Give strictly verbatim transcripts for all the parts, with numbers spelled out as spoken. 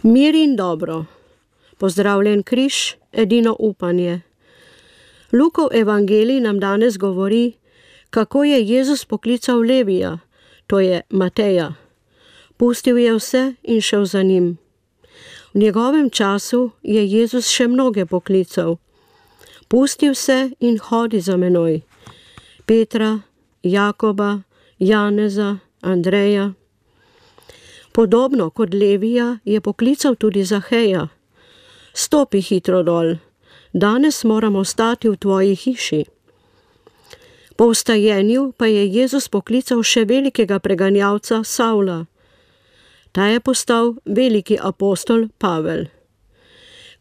Mir in dobro. Pozdravljen križ, edino upanje. Lukov evangelij nam danes govori, kako je Jezus poklical Levija, to je Mateja. Pustil je vse in šel za njim. V njegovem času je Jezus še mnoge poklical. Pusti vse in hodi za menoj. Petra, Jakoba, Janeza, Andreja. Podobno kot Levija je poklical tudi Zaheja. Stopi hitro dol, danes moramo stati v tvoji hiši. Po vstajenju pa je Jezus poklical še velikega preganjalca Savla. Ta je postal veliki apostol Pavel.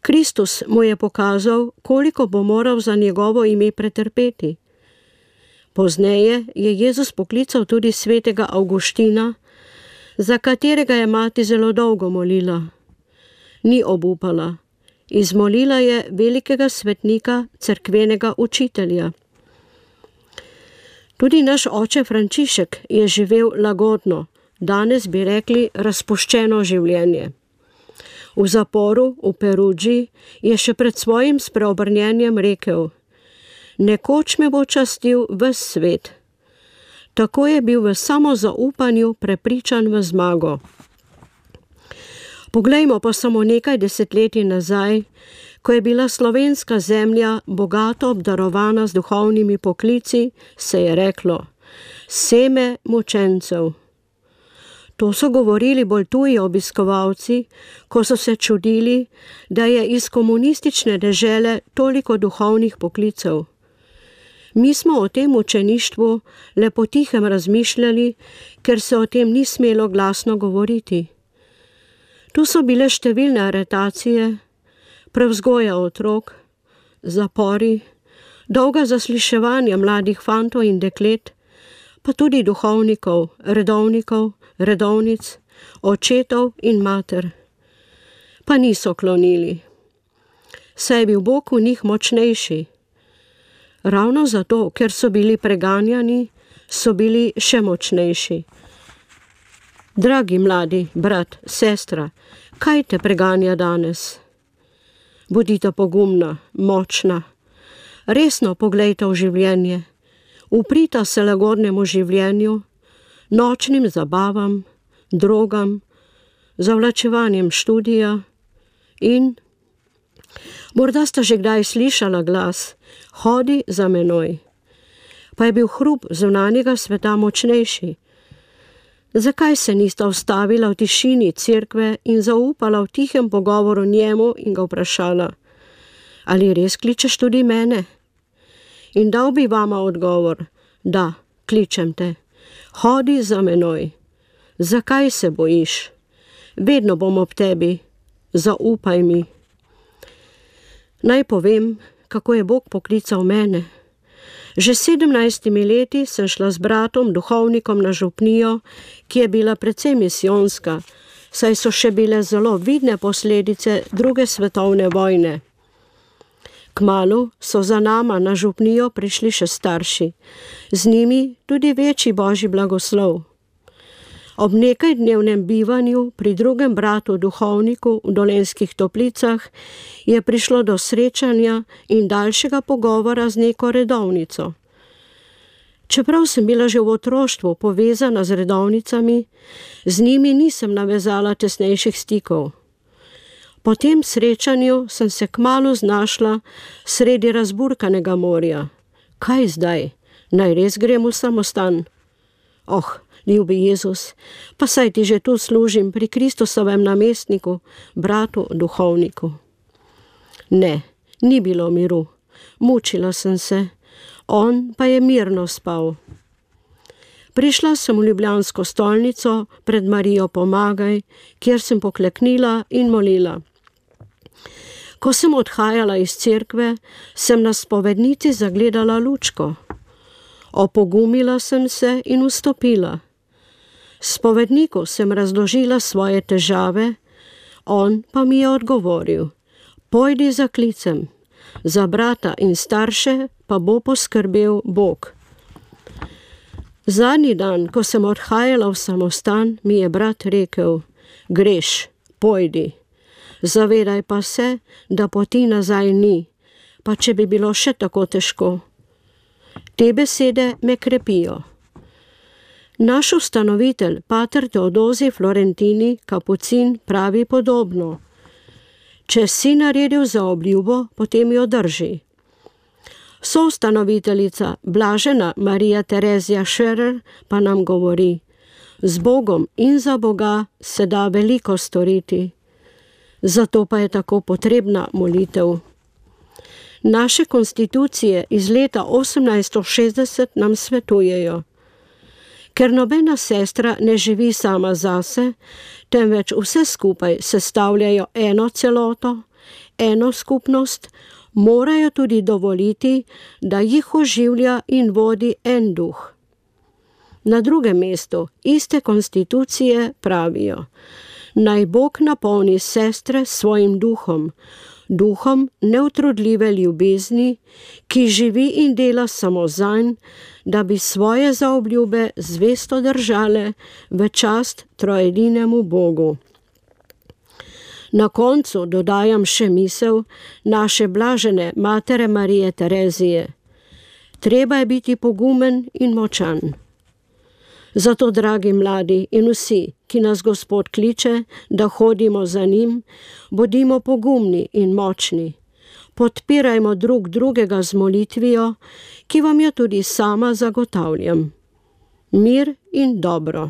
Kristus mu je pokazal, koliko bo moral za njegovo ime pretrpeti. Pozneje je Jezus poklical tudi svetega Avguština, za katerega je mati zelo dolgo molila. Ni obupala. Izmolila je velikega svetnika, cerkvenega učitelja. Tudi naš oče Frančišek je živel lagodno, danes bi rekli razpuščeno življenje. V zaporu v Perudži je še pred svojim spreobrnjenjem rekel: nekoč me bo častil ves svet. Tako je bil v samozaupanju prepričan v zmago. Poglejmo pa samo nekaj desetletij nazaj, ko je bila slovenska zemlja bogato obdarovana z duhovnimi poklici, se je reklo: seme mučencev. To so govorili bolj tuji obiskovalci, ko so se čudili, da je iz komunistične dežele toliko duhovnih poklicev. Mi smo o tem učeništvu le potihem razmišljali, ker se o tem ni smelo glasno govoriti. Tu so bile številne aretacije, prevzgoja otrok, zapori, dolga zasliševanja mladih fantov in deklet, pa tudi duhovnikov, redovnikov, redovnic, očetov in mater. Pa niso klonili. Saj je bil Bog v njih močnejši. Ravno zato, ker so bili preganjani, so bili še močnejši. Dragi mladi, brat, sestra, kaj te preganja danes? Bodite pogumna, močna. Resno poglejte v življenje. Uprita se lagodnemu življenju, nočnim zabavam, drogam, zavlačevanjem študija in... Morda sta že kdaj slišala glas: hodi za menoj. Pa je bil hrup zunanjega sveta močnejši. Zakaj se nista ustavila v tišini cerkve in zaupala v tihem pogovoru njemu in ga vprašala: ali res kličeš tudi mene? In dal bi vama odgovor: da, kličem te. Hodi za menoj. Zakaj se bojiš? Vedno bom ob tebi. Zaupaj mi. Naj povem, kako je Bog poklical mene. Že s sedemnajstimi leti sem šla z bratom, duhovnikom na župnijo, ki je bila precej misijonska, saj so še bile zelo vidne posledice druge svetovne vojne. Kmalu so za nama na župnijo prišli še starši, z njimi tudi večji božji blagoslov. Ob nekajdnevnem bivanju pri drugem bratu duhovniku v Dolenjskih Toplicah je prišlo do srečanja in daljšega pogovora z neko redovnico. Čeprav sem bila že v otroštvu povezana z redovnicami, z njimi nisem navezala tesnejših stikov. Po tem srečanju sem se kmalu znašla sredi razburkanega morja. Kaj zdaj? Naj res grem v samostan? Oh, ljubi Jezus, pa saj ti že tu služim pri Kristusovem namestniku, bratu duhovniku. Ne, ni bilo miru. Mučila sem se, on pa je mirno spal. Prišla sem v ljubljansko stolnico pred Marijo Pomagaj, kjer sem pokleknila in molila. Ko sem odhajala iz cerkve, sem na spovednici zagledala lučko. Opogumila sem se in vstopila. Spovedniku sem razložila svoje težave, on pa mi je odgovoril: pojdi za klicem, za brata in starše pa bo poskrbel Bog. Zadnji dan, ko sem odhajala v samostan, mi je brat rekel: greš, pojdi, Zavedaj pa se, da poti nazaj ni, pa če bi bilo še tako težko. Te besede me krepijo. Naš ustanovitelj, pater Teodozij Florentini, kapucin, pravi podobno. Če si naredil za obljubo, potem jo drži. Soustanoviteljica blažena Marija Terezija Scherer pa nam govori: z Bogom in za Boga se da veliko storiti. Zato pa je tako potrebna molitev. Naše konstitucije iz leta osemnajststo šestdeset nam svetujejo: ker nobena sestra ne živi sama zase, temveč vse skupaj sestavljajo eno celoto, eno skupnost, morajo tudi dovoliti, da jih oživlja in vodi en duh. Na drugem mestu iste konstitucije pravijo: naj Bog napolni sestre s svojim duhom, duhom neutrudljive ljubezni, ki živi in dela samo zanj, da bi svoje zaobljube zvesto držale v čast trojedinemu Bogu. Na koncu dodajam še misel naše blažene matere Marije Terezije: treba je biti pogumen in močan. Zato, dragi mladi in vsi, ki nas Gospod kliče, da hodimo za njim, bodimo pogumni in močni. Podpirajmo drug drugega z molitvijo, ki vam jo tudi sama zagotavljam. Mir in dobro.